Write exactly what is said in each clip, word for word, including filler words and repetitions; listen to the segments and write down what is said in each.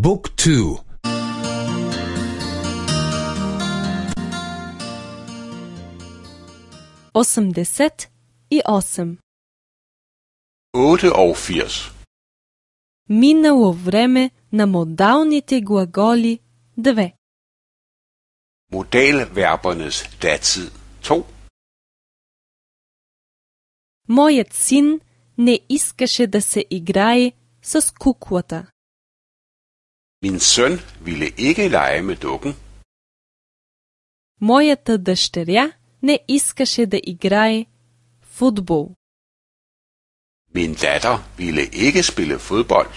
บุ๊กทูосемдесет и осем. otteogfirs. Минало време на модалните глаголи две. Modalverbernes datid to. Моят син не искаше да се играе с куклата. Min søn ville ikke lege med dukken. Моята дъщеря не искаше да играе футбол. Min datter ville ikke spille fodbold.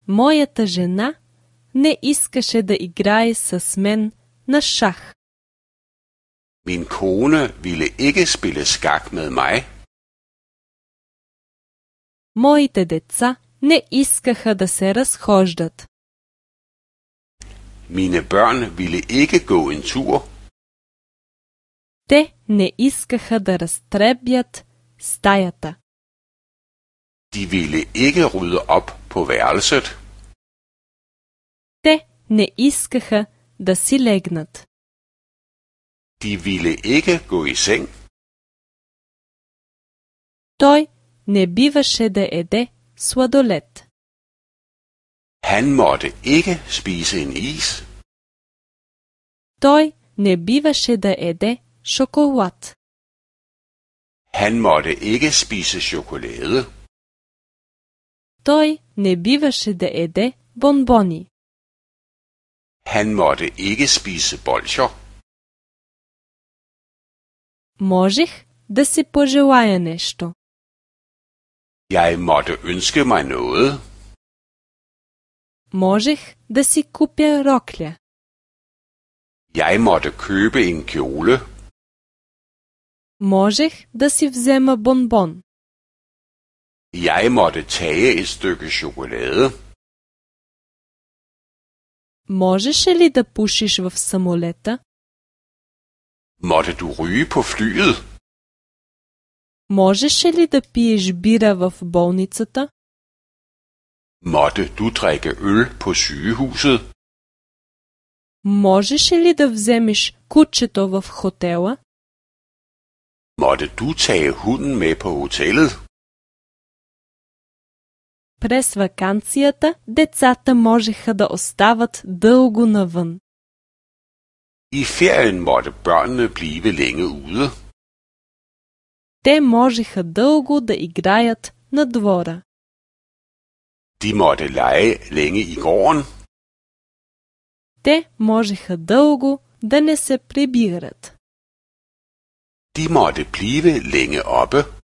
Моята жена не искаше да играе с мен на шах. Min kone ville ikke spille skak med mig. Моите деца не искаха да се разхождат. Mine børn ville ikke gå en tur. Те не искаха да разтребят стаята. De ville ikke rydde op på værelset. Те не искаха да си легнат. De ville ikke gå i seng. Той не биваше да еде сладолед. Han måtte ikke spise en is. Той не биваше да еде шоколад. Han måtte ikke spise chokolade. Той не биваше да еде бонбони. Han måtte ikke spise bolsjer. Можех да си пожелая нещо. Jeg måtte ønske mig noget. Можех да си купя рокля. Jeg måtte købe en kjole. Можех да си взема бонбон. Jeg måtte tage et stykke chokolade. Можеше ли да пушиш в самолета? Måtte du ryge på flyet? Можеше ли да пиеш бира в болницата? Måtte du drikke øl på sygehuset? Можеше ли да вземеш кучето в хотела? Måtte du tage hunden med på hotellet? През ваканцията децата можеха да остават дълго навън. I ferien måtte børnene blive længe ude. Те можеха дълго да играят на двора. De måtte lege længe i gården. Те можеха дълго да не се прибират. De måtte blive længe oppe.